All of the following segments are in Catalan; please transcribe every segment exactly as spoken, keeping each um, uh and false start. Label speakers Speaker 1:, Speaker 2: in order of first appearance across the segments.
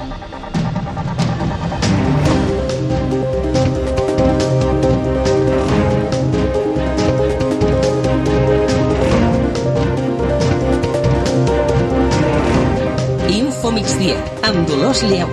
Speaker 1: Info Migdia, amb Dolors Lleu.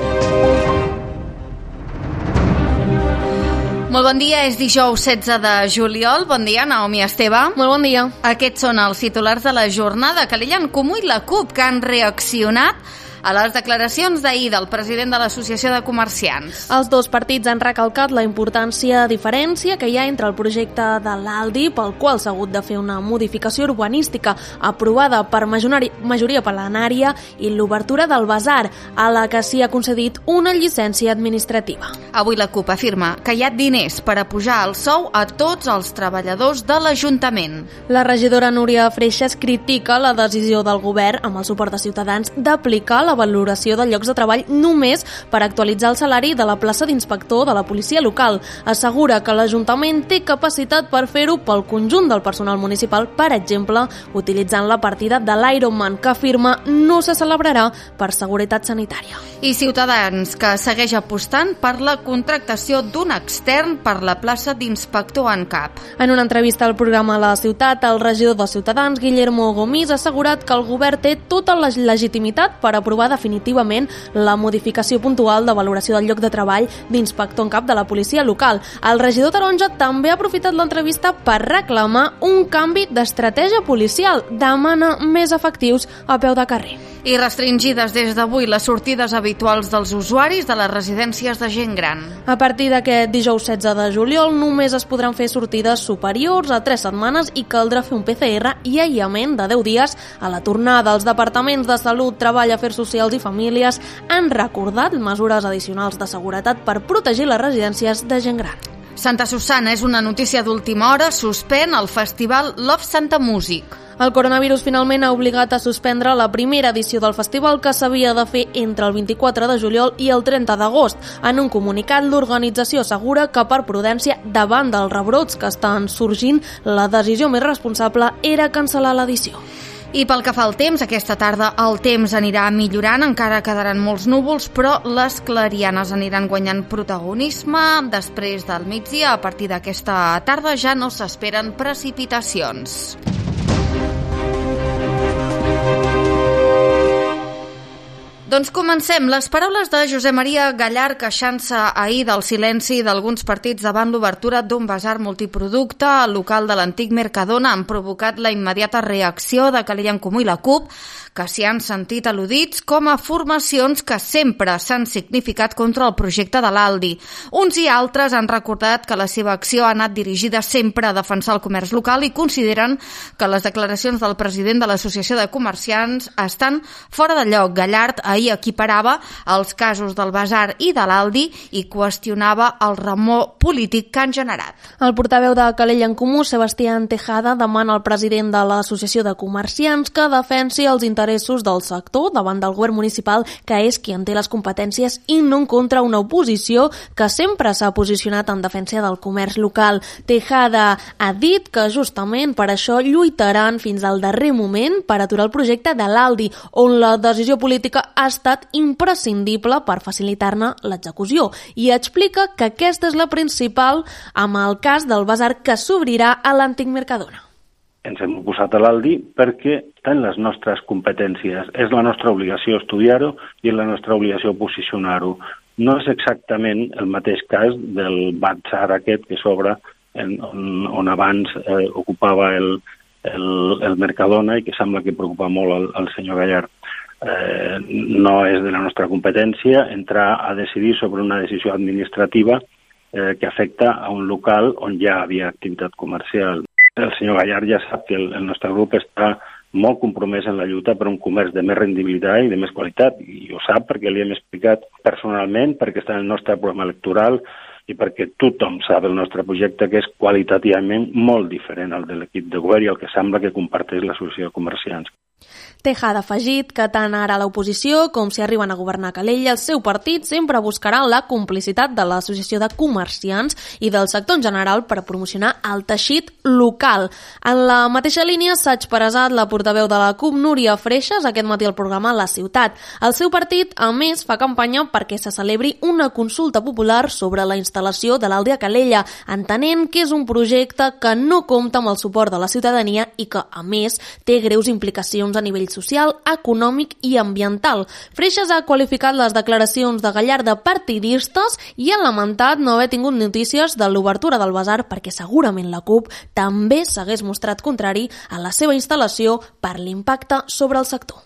Speaker 2: Molt bon dia, és dijous setze de juliol. Bon dia, Naomi Esteve.
Speaker 3: Molt bon dia.
Speaker 2: Aquests són els titulars de la jornada. Calella en Comú i la CUP, que han reaccionat a les declaracions d'ahir del president de l'Associació de Comerciants.
Speaker 3: Els dos partits han recalcat la importància diferència que hi ha entre el projecte de l'Aldi, pel qual s'ha hagut de fer una modificació urbanística aprovada per majoria plenària, i l'obertura del Basar, a la que s'hi ha concedit una llicència administrativa.
Speaker 2: Avui la CUP afirma que hi ha diners per a pujar el sou a tots els treballadors de l'Ajuntament.
Speaker 3: La regidora Núria Freixas critica la decisió del govern, amb el suport de Ciutadans, d'aplicar la la valoració de llocs de treball només per actualitzar el salari de la plaça d'inspector de la policia local. Assegura que l'Ajuntament té capacitat per fer-ho pel conjunt del personal municipal, per exemple, utilitzant la partida de l'Ironman, que afirma no se celebrarà per seguretat sanitària.
Speaker 2: I Ciutadans, que segueix apostant per la contractació d'un extern per la plaça d'inspector en cap.
Speaker 3: En una entrevista al programa La Ciutat, el regidor de Ciutadans, Guillermo Gomis, ha assegurat que el govern té tota la legitimitat per aprovar definitivament la modificació puntual de valoració del lloc de treball d'inspector en cap de la policia local. El regidor taronja també ha aprofitat l'entrevista per reclamar un canvi d'estratègia policial. Demana més efectius a peu de carrer.
Speaker 2: I restringides des d'avui les sortides habituals dels usuaris de les residències de gent gran.
Speaker 3: A partir d'aquest dijous setze de juliol només es podran fer sortides superiors a tres setmanes i caldrà fer un P C R i aïllament de deu dies a la tornada. Els departaments de Salut, Treball, Afers Socials i Famílies han recordat mesures addicionals de seguretat per protegir les residències de gent gran.
Speaker 2: Santa Susanna és una notícia d'última hora, suspèn el festival Love Santa Music.
Speaker 3: El coronavirus finalment ha obligat a suspendre la primera edició del festival, que s'havia de fer entre el vint-i-quatre de juliol i el trenta d'agost. En un comunicat, l'organització assegura que per prudència, davant dels rebrots que estan sorgint, la decisió més responsable era cancel·lar l'edició.
Speaker 2: I pel que fa al temps, aquesta tarda el temps anirà millorant, encara quedaran molts núvols, però les clarianes aniran guanyant protagonisme. Després del migdia, a partir d'aquesta tarda, ja no s'esperen precipitacions. Doncs comencem. Les paraules de Josep Maria Gallard, queixant-se ahir del silenci d'alguns partits davant l'obertura d'un basar multiproducte al local de l'antic Mercadona han provocat la immediata reacció de Calella en Comú i la CUP, que s'hi han sentit al·ludits com a formacions que sempre s'han significat contra el projecte de l'Aldi. Uns i altres han recordat que la seva acció ha anat dirigida sempre a defensar el comerç local i consideren que les declaracions del president de l'Associació de Comerciants estan fora de lloc. Gallard ahir equiparava els casos del Basar i de l'Aldi i qüestionava el remor polític que han generat.
Speaker 3: El portaveu de Calella en Comú, Sebastián Tejada, demana al president de l'Associació de Comerciants que defensi els interessos del sector davant del govern municipal, que és qui en té les competències, i no en contra una oposició que sempre s'ha posicionat en defensa del comerç local. Tejada ha dit que justament per això lluitaran fins al darrer moment per aturar el projecte de l'Aldi, on la decisió política ha estat imprescindible per facilitar-ne l'execució, i explica que aquesta és la principal amb el cas del basar que s'obrirà a l'antic Mercadona.
Speaker 4: Ens hem oposat a l'Aldi perquè està en les nostres competències. És la nostra obligació estudiar-ho i és la nostra obligació posicionar-ho. No és exactament el mateix cas del basar aquest que s'obre on, on abans eh, ocupava el, el, el Mercadona i que sembla que preocupa molt el, el senyor Gallard. Eh, no és de la nostra competència entrar a decidir sobre una decisió administrativa eh, que afecta a un local on ja havia activitat comercial. El senyor Gallard ja sap que el, el nostre grup està molt compromès en la lluita per un comerç de més rendibilitat i de més qualitat, i ho sap perquè li hem explicat personalment, perquè està en el nostre programa electoral i perquè tothom sap el nostre projecte, que és qualitativament molt diferent al de l'equip de govern i el que sembla que comparteix l'Associació de Comerciants.
Speaker 3: Tejada ha afegit que tant ara a l'oposició com si arriben a governar Calella, el seu partit sempre buscarà la complicitat de l'Associació de Comerciants i del sector en general per promocionar el teixit local. En la mateixa línia s'ha expressat la portaveu de la CUP, Núria Freixas, aquest matí al programa La Ciutat. El seu partit, a més, fa campanya perquè se celebri una consulta popular sobre la instal·lació de l'Aldi a Calella, entenent que és un projecte que no compta amb el suport de la ciutadania i que, a més, té greus implicacions a nivell social, econòmic i ambiental. Freixas ha qualificat les declaracions de Gallard de partidistes i ha lamentat no haver tingut notícies de l'obertura del basar perquè segurament la CUP també s'hagués mostrat contrari a la seva instal·lació per l'impacte sobre el sector.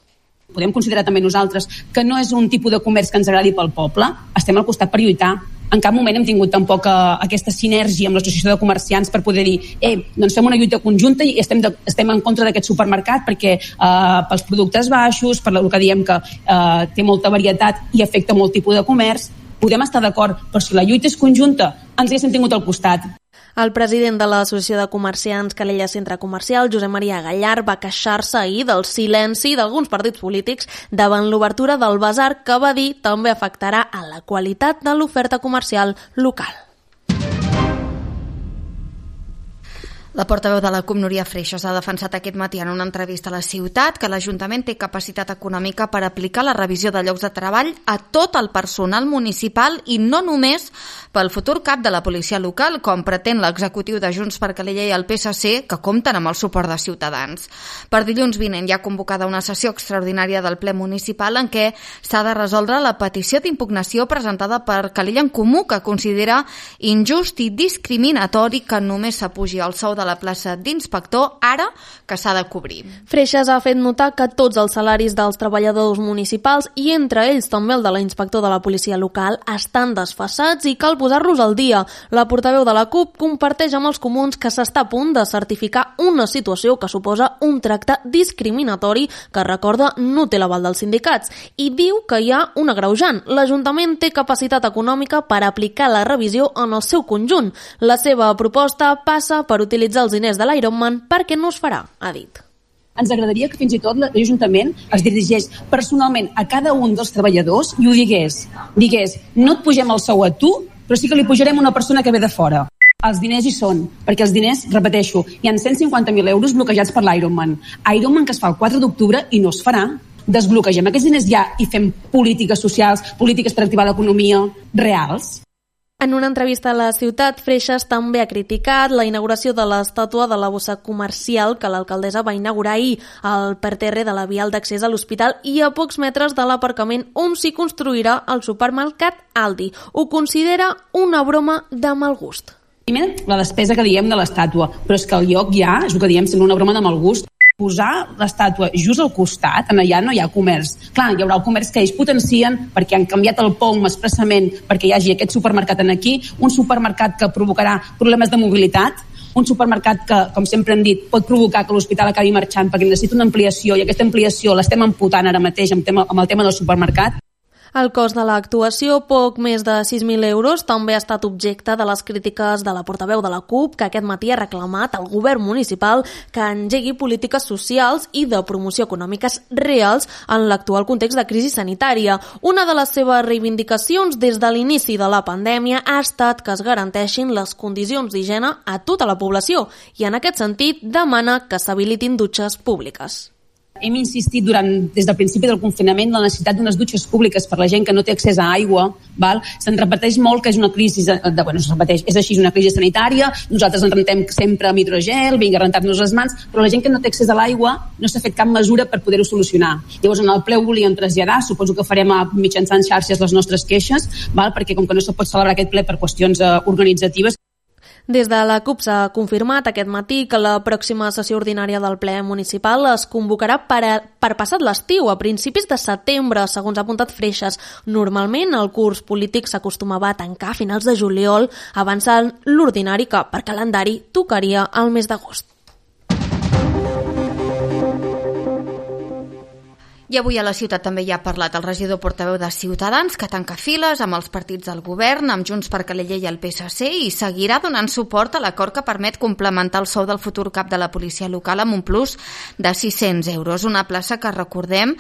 Speaker 5: Podem considerar també nosaltres que no és un tipus de comerç que ens agradi pel poble. Estem al costat per lluitar. En cap moment hem tingut tampoc uh, aquesta sinergia amb l'Associació de Comerciants per poder dir eh, doncs fem una lluita conjunta i estem, de, estem en contra d'aquest supermercat perquè uh, pels productes baixos, per el que diem que uh, té molta varietat i afecta molt tipus de comerç. Podem estar d'acord, però si la lluita és conjunta, ens hi hem tingut al costat.
Speaker 3: El president de l'Associació de Comerciants Calella Centre Comercial, Josep Maria Gallard, va queixar-se ahir del silenci d'alguns partits polítics davant l'obertura del basar que va dir també afectarà a la qualitat de l'oferta comercial local.
Speaker 2: La portaveu de la CUP, Núria Freixas, ha defensat aquest matí en una entrevista a La Ciutat que l'Ajuntament té capacitat econòmica per aplicar la revisió de llocs de treball a tot el personal municipal i no només pel futur cap de la policia local, com pretén l'executiu de Junts per Calella i el P S C, que compten amb el suport de Ciutadans. Per dilluns vinent hi ha convocada una sessió extraordinària del ple municipal en què s'ha de resoldre la petició d'impugnació presentada per Calella en Comú, que considera injust i discriminatori que només s'apugi el sou de la plaça d'inspector ara que s'ha de cobrir.
Speaker 3: Freixas ha fet notar que tots els salaris dels treballadors municipals i entre ells també el de l'inspector de la policia local estan desfasats i cal posar-los al dia. La portaveu de la CUP comparteix amb els comuns que s'està a punt de certificar una situació que suposa un tracte discriminatori que, recorda, no té l'aval dels sindicats i diu que hi ha un agreujant. L'Ajuntament té capacitat econòmica per aplicar la revisió en el seu conjunt. La seva proposta passa per utilitzar els diners de l'Ironman perquè no es farà, ha dit.
Speaker 5: Ens agradaria que fins i tot l'Ajuntament es dirigeix personalment a cada un dels treballadors i ho digués. Digués, no et pugem el sou a tu, però sí que li pujarem una persona que ve de fora. Els diners hi són, perquè els diners, repeteixo, hi ha cent cinquanta mil euros bloquejats per l'Ironman. Ironman que es fa el quatre d'octubre i no es farà. Desbloquegem aquests diners ja i fem polítiques socials, polítiques per activar l'economia reals.
Speaker 3: En una entrevista a La Ciutat, Freixas també ha criticat la inauguració de l'estàtua de la bossa comercial que l'alcaldessa va inaugurar ahir al parterre de la vial d'accés a l'hospital i a pocs metres de l'aparcament on s'hi construirà el supermercat Aldi. Ho considera una broma de mal gust.
Speaker 5: Primer, la despesa que diem de l'estàtua, però és que el lloc ja, és el que diem, sembla una broma de mal gust. Posar l'estàtua just al costat, en allà no hi ha comerç. Clar, hi haurà el comerç que ells potencien perquè han canviat el P O M expressament perquè hi hagi aquest supermercat en aquí, un supermercat que provocarà problemes de mobilitat, un supermercat que, com sempre hem dit, pot provocar que l'hospital acabi marxant perquè necessita una ampliació i aquesta ampliació l'estem amputant ara mateix amb, tema, amb el tema del supermercat.
Speaker 3: El cost de l'actuació, poc més de sis mil euros, també ha estat objecte de les crítiques de la portaveu de la CUP, que aquest matí ha reclamat al govern municipal que engegui polítiques socials i de promoció econòmiques reals en l'actual context de crisi sanitària. Una de les seves reivindicacions des de l'inici de la pandèmia ha estat que es garanteixin les condicions d'higiene a tota la població i, en aquest sentit, demana que s'habilitin dutxes públiques.
Speaker 5: Hem insistit durant, des del principi del confinament la necessitat d'unes dutxes públiques per la gent que no té accés a aigua. Val? Se'n repeteix molt que és una crisi, de, bueno, es repeteix, és així, una crisi sanitària, nosaltres ens rentem sempre amb hidrogel, vinga, a rentar-nos les mans, però la gent que no té accés a l'aigua no s'ha fet cap mesura per poder-ho solucionar. Llavors en el ple ho volíem traslladar, suposo que farem a, mitjançant xarxes les nostres queixes, val? Perquè com que no se pot celebrar aquest ple per qüestions uh, organitzatives.
Speaker 3: Des de la CUP s'ha confirmat aquest matí que la pròxima sessió ordinària del ple municipal es convocarà per, a, per passat l'estiu, a principis de setembre, segons ha apuntat Freixas. Normalment el curs polític s'acostumava a tancar a finals de juliol, avançant l'ordinari que per calendari tocaria al mes d'agost.
Speaker 2: I avui a la ciutat també hi ha parlat el regidor portaveu de Ciutadans, que tanca files amb els partits del govern, amb Junts per Calella i el P S C, i seguirà donant suport a l'acord que permet complementar el sou del futur cap de la policia local amb un plus de sis-cents euros. Una plaça que, recordem,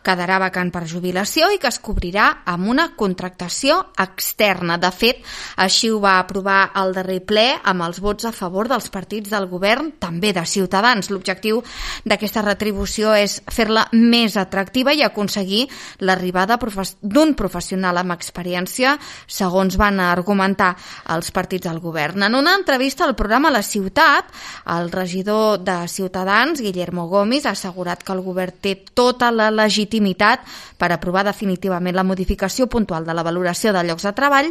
Speaker 2: quedarà vacant per jubilació i que es cobrirà amb una contractació externa. De fet, així ho va aprovar el darrer ple amb els vots a favor dels partits del govern, també de Ciutadans. L'objectiu d'aquesta retribució és fer-la més atractiva i aconseguir l'arribada d'un professional amb experiència, segons van argumentar els partits del govern. En una entrevista al programa La Ciutat, el regidor de Ciutadans, Guillermo Gomis, ha assegurat que el govern té tota la legitimitat per aprovar definitivament la modificació puntual de la valoració de llocs de treball,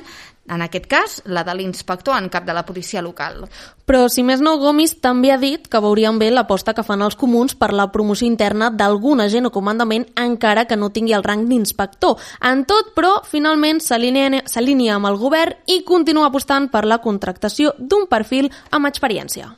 Speaker 2: en aquest cas, la de l'inspector en cap de la policia local.
Speaker 3: Però, si més no, Gomis també ha dit que veurien bé l'aposta que fan els comuns per la promoció interna d'algun agent o comandament, encara que no tingui el rang d'inspector. En tot, però, finalment s'alinea amb el govern i continua apostant per la contractació d'un perfil amb experiència.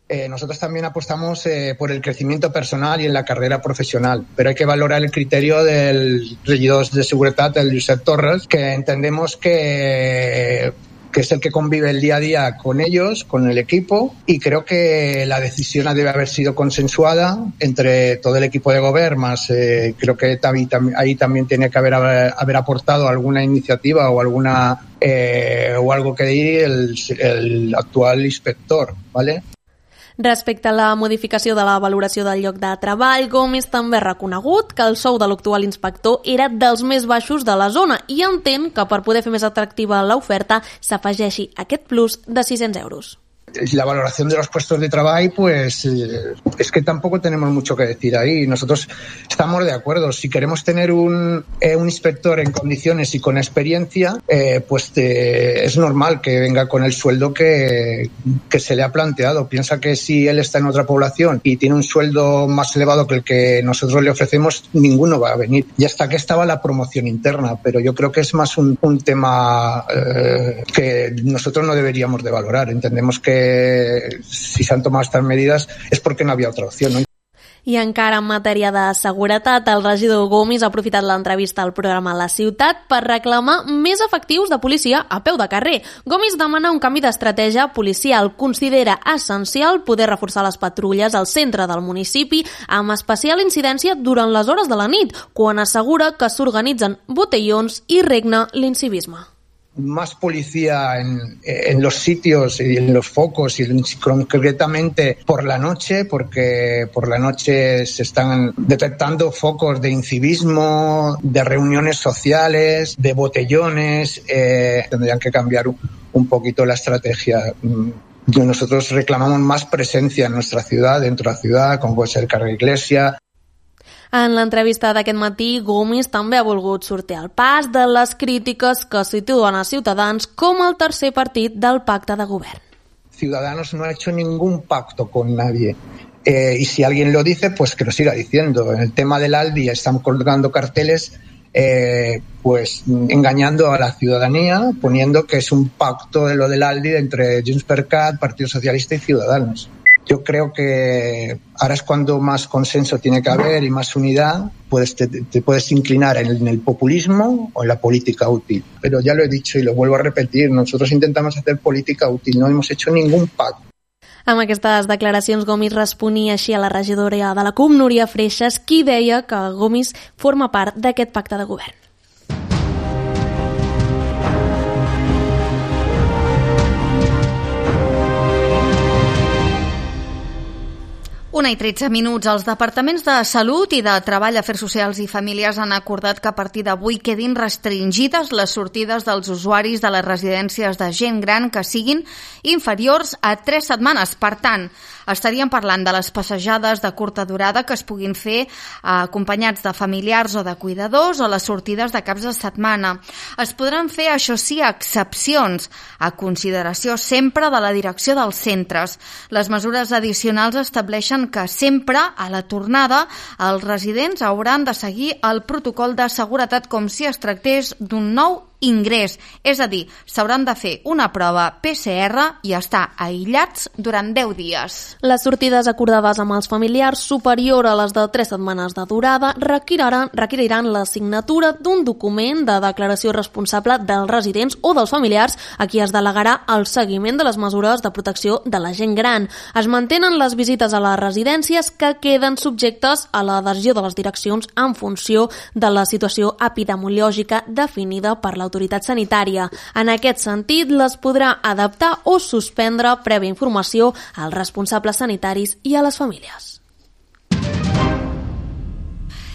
Speaker 6: Eh, nosotros también apostamos eh, por el crecimiento personal y en la carrera profesional, pero hay que valorar el criterio del regidor de seguridad, el Josep Torres, que entendemos que, que es el que convive el día a día con ellos, con el equipo, y creo que la decisión debe haber sido consensuada entre todo el equipo de gobierno, más eh, creo que ahí, ahí también tiene que haber, haber aportado alguna iniciativa o alguna eh, o algo que dir el, el actual inspector, ¿vale?
Speaker 3: Respecte a la modificació de la valoració del lloc de treball, Gomis també ha reconegut que el sou de l'actual inspector era dels més baixos de la zona i entén que per poder fer més atractiva l'oferta s'afegeixi aquest plus de sis-cents euros.
Speaker 6: La valoración de los puestos de trabajo, pues eh, es que tampoco tenemos mucho que decir ahí. Nosotros estamos de acuerdo. Si queremos tener un, eh, un inspector en condiciones y con experiencia, eh, pues eh, es normal que venga con el sueldo que, que se le ha planteado. Piensa que si él está en otra población y tiene un sueldo más elevado que el que nosotros le ofrecemos, ninguno va a venir. Y hasta que estaba la promoción interna, pero yo creo que es más un, un tema eh, que nosotros no deberíamos de valorar. Entendemos que si s'han tomat aquestes medides és perquè no havia altra opció, no?
Speaker 3: I encara en matèria de seguretat, el regidor Gomis ha aprofitat l'entrevista al programa La Ciutat per reclamar més efectius de policia a peu de carrer. Gomis demana un canvi d'estratègia policial. Considera essencial poder reforçar les patrulles al centre del municipi, amb especial incidència durant les hores de la nit, quan assegura que s'organitzen botellons i regna l'incivisme.
Speaker 6: Más policía en, en los sitios y en los focos y concretamente por la noche, porque por la noche se están detectando focos de incivismo, de reuniones sociales, de botellones. Eh, tendrían que cambiar un, un poquito la estrategia. Nosotros reclamamos más presencia en nuestra ciudad, dentro de la ciudad, como puede ser Carrer Iglesia.
Speaker 3: En l'entrevista d'aquest matí, Gomis també ha volgut sortir al pas de les crítiques que situen a Ciutadans com el tercer partit del pacte de govern.
Speaker 6: Ciudadanos no ha hecho ningún pacto con nadie. Eh, y si alguien lo dice, pues que lo siga diciendo. En el tema del Aldi están colgando carteles eh, pues engañando a la ciudadanía, poniendo que es un pacto de lo del Aldi entre Junts per Cat, Partido Socialista y Ciudadanos. Yo creo que ahora es cuando más consenso tiene que haber y más unidad. Puedes, te, te puedes inclinar en el, en el populismo o en la política útil. Pero ya lo he dicho y lo vuelvo a repetir, nosotros intentamos hacer política útil, no hemos hecho ningún pacto.
Speaker 3: Amb aquestes declaracions, Gomis responia així a la regidora de la C U M, Núria Freixas, qui deia que Gomis forma part d'aquest pacte de govern.
Speaker 2: Una i tretze minuts. Els departaments de Salut i de Treball, Afers Socials i Famílies han acordat que a partir d'avui quedin restringides les sortides dels usuaris de les residències de gent gran que siguin inferiors a tres setmanes. Per tant, estaríem parlant de les passejades de curta durada que es puguin fer acompanyats de familiars o de cuidadors o les sortides de caps de setmana. Es podran fer, això sí, excepcions, a consideració sempre de la direcció dels centres. Les mesures addicionals estableixen que sempre, a la tornada, els residents hauran de seguir el protocol de seguretat com si es tractés d'un nou ingrés. És a dir, s'hauran de fer una prova P C R i estar aïllats durant deu dies.
Speaker 3: Les sortides acordades amb els familiars superior a les de tres setmanes de durada requeriran, requeriran la signatura d'un document de declaració responsable dels residents o dels familiars a qui es delegarà el seguiment de les mesures de protecció de la gent gran. Es mantenen les visites a les residències que queden subjectes a la decisió de les direccions en funció de la situació epidemiològica definida per l'autoritat sanitària. En aquest sentit, les podrà adaptar o suspendre prèvia informació als responsables sanitaris i a les famílies.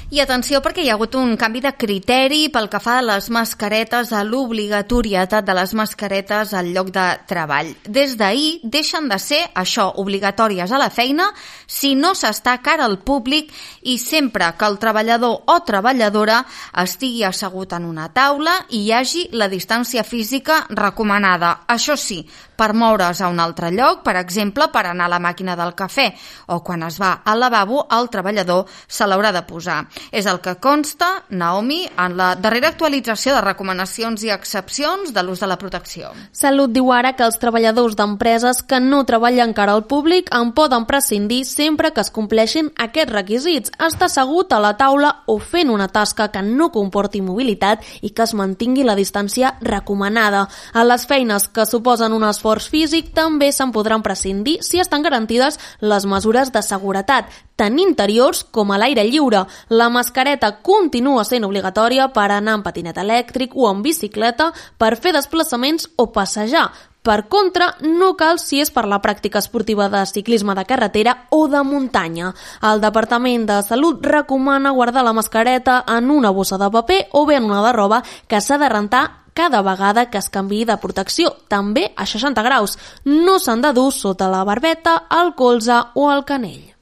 Speaker 2: I atenció, perquè hi ha hagut un canvi de criteri pel que fa a les mascaretes, a l'obligatorietat de les mascaretes al lloc de treball. Des d'ahir deixen de ser, això, obligatòries a la feina si no s'està cara al públic i sempre que el treballador o treballadora estigui assegut en una taula i hi hagi la distància física recomanada. Això sí, per moure's a un altre lloc, per exemple, per anar a la màquina del cafè, o quan es va al lavabo, el treballador se l'haurà de posar. És el que consta, Naomi, en la darrera actualització de recomanacions i excepcions de l'ús de la protecció.
Speaker 3: Salut diu ara que els treballadors d'empreses que no treballen cara al públic en poden prescindir sempre que es compleixin aquests requisits, estar assegut a la taula o fent una tasca que no comporti mobilitat i que es mantingui la distància recomanada. A les feines que suposen un esforç físic també se'n podran prescindir si estan garantides les mesures de seguretat, tant interiors com a l'aire lliure. La mascareta continua sent obligatòria per anar en patinet elèctric o en bicicleta, per fer desplaçaments o passejar. Per contra, no cal si és per la pràctica esportiva de ciclisme de carretera o de muntanya. El Departament de Salut recomana guardar la mascareta en una bossa de paper o bé en una de roba que s'ha de rentar cada vegada que es canviï de protecció, també a seixanta graus. No s'han de dur sota la barbeta, el colze o el canell.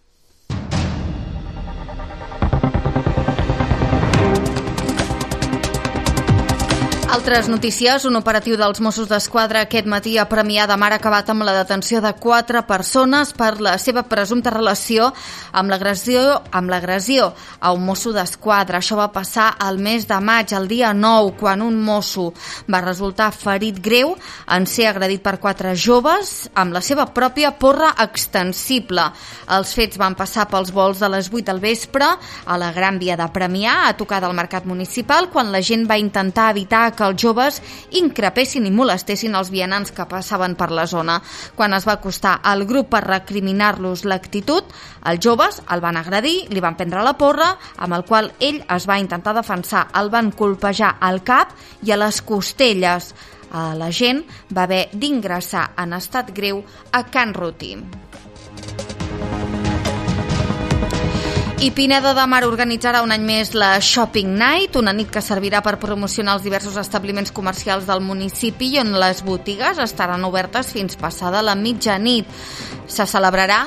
Speaker 2: Altres notícies, un operatiu dels Mossos d'Esquadra aquest matí a Premià de Mar ha acabat amb la detenció de quatre persones per la seva presumpta relació amb l'agressió amb l'agressió a un mosso d'Esquadra. Això va passar al mes de maig, el dia nou, quan un mosso va resultar ferit greu en ser agredit per quatre joves amb la seva pròpia porra extensible. Els fets van passar pels volts de les vuit del vespre a la Gran Via de Premià, a tocar del Mercat Municipal, quan la gent va intentar evitar que els joves increpessin i molestessin els vianants que passaven per la zona. Quan es va acostar al grup per recriminar-los l'actitud, els joves el van agredir, li van prendre la porra, amb el qual ell es va intentar defensar. El van colpejar al cap i a les costelles. La gent va haver d'ingressar en estat greu a Can Ruti. I Pineda de Mar organitzarà un any més la Shopping Night, una nit que servirà per promocionar els diversos establiments comercials del municipi i on les botigues estaran obertes fins passada la mitjanit. Se celebrarà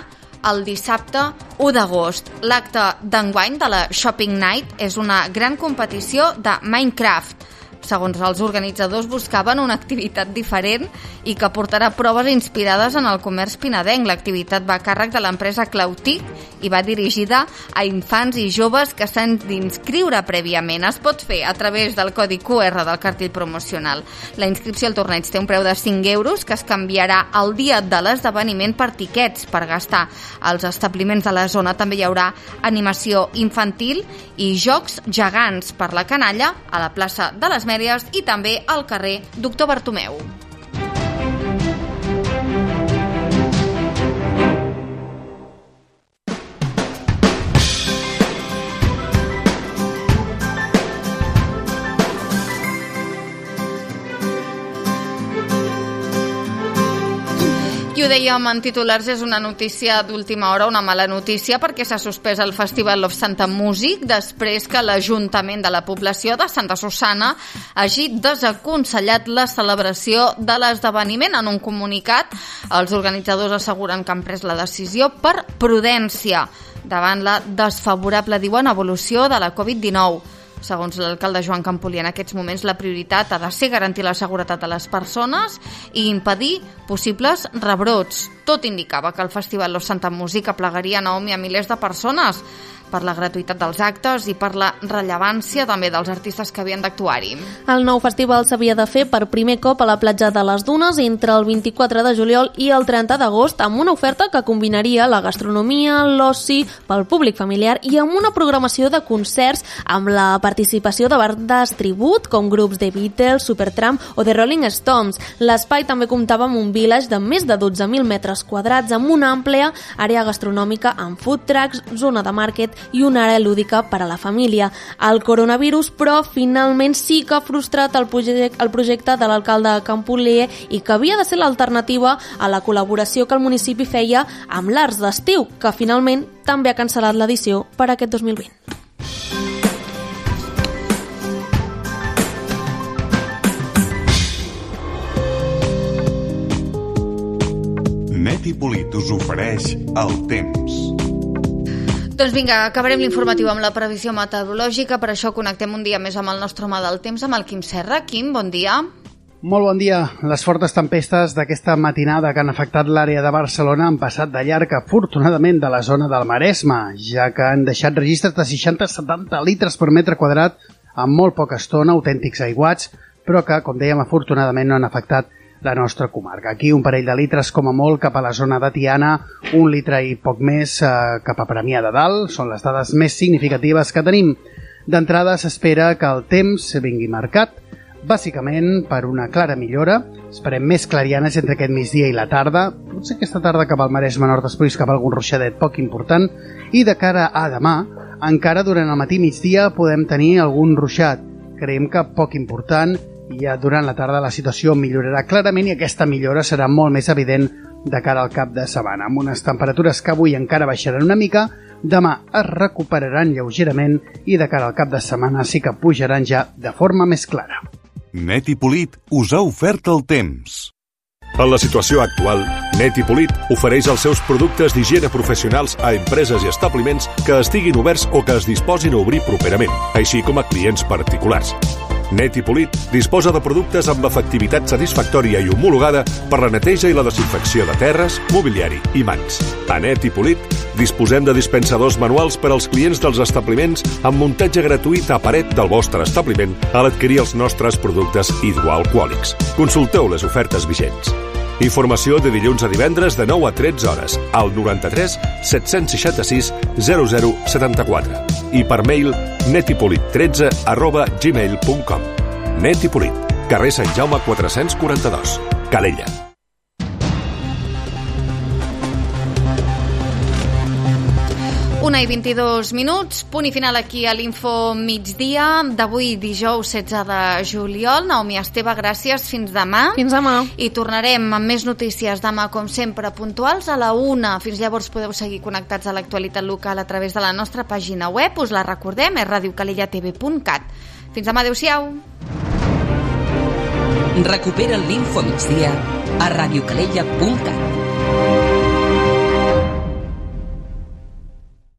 Speaker 2: el dissabte u d'agost. L'acte d'enguany de la Shopping Night és una gran competició de Minecraft. Segons els organitzadors, buscaven una activitat diferent i que portarà proves inspirades en el comerç pinedenc. L'activitat va a càrrec de l'empresa Clautic i va dirigida a infants i joves que s'han d'inscriure prèviament. Es pot fer a través del codi Q R del cartell promocional. La inscripció al torneig té un preu de cinc euros que es canviarà el dia de l'esdeveniment per tiquets per gastar. Als establiments de la zona també hi haurà animació infantil i jocs gegants per la canalla a la plaça de les Mèries i també al carrer Doctor Bartomeu. I ho dèiem en titulars, és una notícia d'última hora, una mala notícia, perquè s'ha suspès el Festival of Santa Music després que l'Ajuntament de la població de Santa Susanna hagi desaconsellat la celebració de l'esdeveniment. En un comunicat, els organitzadors asseguren que han pres la decisió per prudència davant la desfavorable, diuen, evolució de la covid dinou. Segons l'alcalde Joan Campolí, en aquests moments la prioritat ha de ser garantir la seguretat de les persones i impedir possibles rebrots. Tot indicava que el Festival Los Santa Música aplegaria, Naomi, a milers de persones, per la gratuïtat dels actes i per la rellevància també dels artistes que havien d'actuar-hi.
Speaker 3: El nou festival s'havia de fer per primer cop a la platja de les Dunes entre el vint-i-quatre de juliol i el trenta d'agost, amb una oferta que combinaria la gastronomia, l'oci pel públic familiar i amb una programació de concerts amb la participació de bandes tribut com grups de Beatles, Supertramp o The Rolling Stones. L'espai també comptava amb un village de més de dotze mil metres quadrats amb una àmplia àrea gastronòmica amb food trucks, zona de màrquet i una àrea lúdica per a la família. El coronavirus, però, finalment sí que ha frustrat el projecte, el projecte de l'alcalde de Campoler i que havia de ser l'alternativa a la col·laboració que el municipi feia amb l'Arts d'Estiu, que finalment també ha cancel·lat l'edició per aquest dos mil vint.
Speaker 7: Net i Polit us ofereix el temps.
Speaker 2: Doncs vinga, acabarem l'informatiu amb la previsió meteorològica, per això connectem un dia més amb el nostre home del temps, amb el Quim Serra. Quim, bon dia.
Speaker 8: Molt bon dia. Les fortes tempestes d'aquesta matinada que han afectat l'àrea de Barcelona han passat de llarg, afortunadament, de la zona del Maresme, ja que han deixat registres de seixanta a setanta litres per metre quadrat en molt poca estona, autèntics aiguats, però que, com dèiem, afortunadament no han afectat la nostra comarca. Aquí un parell de litres com a molt cap a la zona de Tiana, un litre i poc més eh, cap a Premià de Dalt. Són les dades més significatives que tenim. D'entrada s'espera que el temps vingui marcat, bàsicament per una clara millora. Esperem més clarianes entre aquest migdia i la tarda. Potser aquesta tarda cap al Maresme Nord, després cap a algun ruixadet poc important. I de cara a demà, encara durant el matí migdia podem tenir algun ruixat. Creiem que poc important, i ja durant la tarda la situació millorarà clarament i aquesta millora serà molt més evident de cara al cap de setmana. Amb unes temperatures que avui encara baixaran una mica, demà es recuperaran lleugerament i de cara al cap de setmana sí que pujaran ja de forma més clara.
Speaker 7: Net i Polit us ha ofert el temps. En la situació actual, Net i Polit ofereix els seus productes d'higiene professionals a empreses i establiments que estiguin oberts o que es disposin a obrir properament, així com a clients particulars. Net i Polit disposa de productes amb efectivitat satisfactòria i homologada per la neteja i la desinfecció de terres, mobiliari i mans. A Net i Polit disposem de dispensadors manuals per als clients dels establiments amb muntatge gratuït a paret del vostre establiment a l'adquirir els nostres productes hidroalcohòlics. Consulteu les ofertes vigents. Informació de dilluns a divendres de nou a tretze hores al noranta-tres set-cents seixanta-sis zero zero setanta-quatre i per mail netipolit tretze arroba gmail punt com. Net i Polit, carrer Sant Jaume quatre-cents quaranta-dos, Calella.
Speaker 2: Una i vint-i-dos minuts, punt i final aquí a l'Info Migdia d'avui dijous setze de juliol. Naomi Esteve, gràcies, fins demà.
Speaker 3: Fins demà.
Speaker 2: I tornarem amb més notícies demà, com sempre, puntuals a la una. Fins llavors podeu seguir connectats a l'actualitat local a través de la nostra pàgina web. Us la recordem, és radio calella t v punt cat. Fins demà, adeu-siau.
Speaker 1: Recupera l'Info Migdia a radio calella punt cat.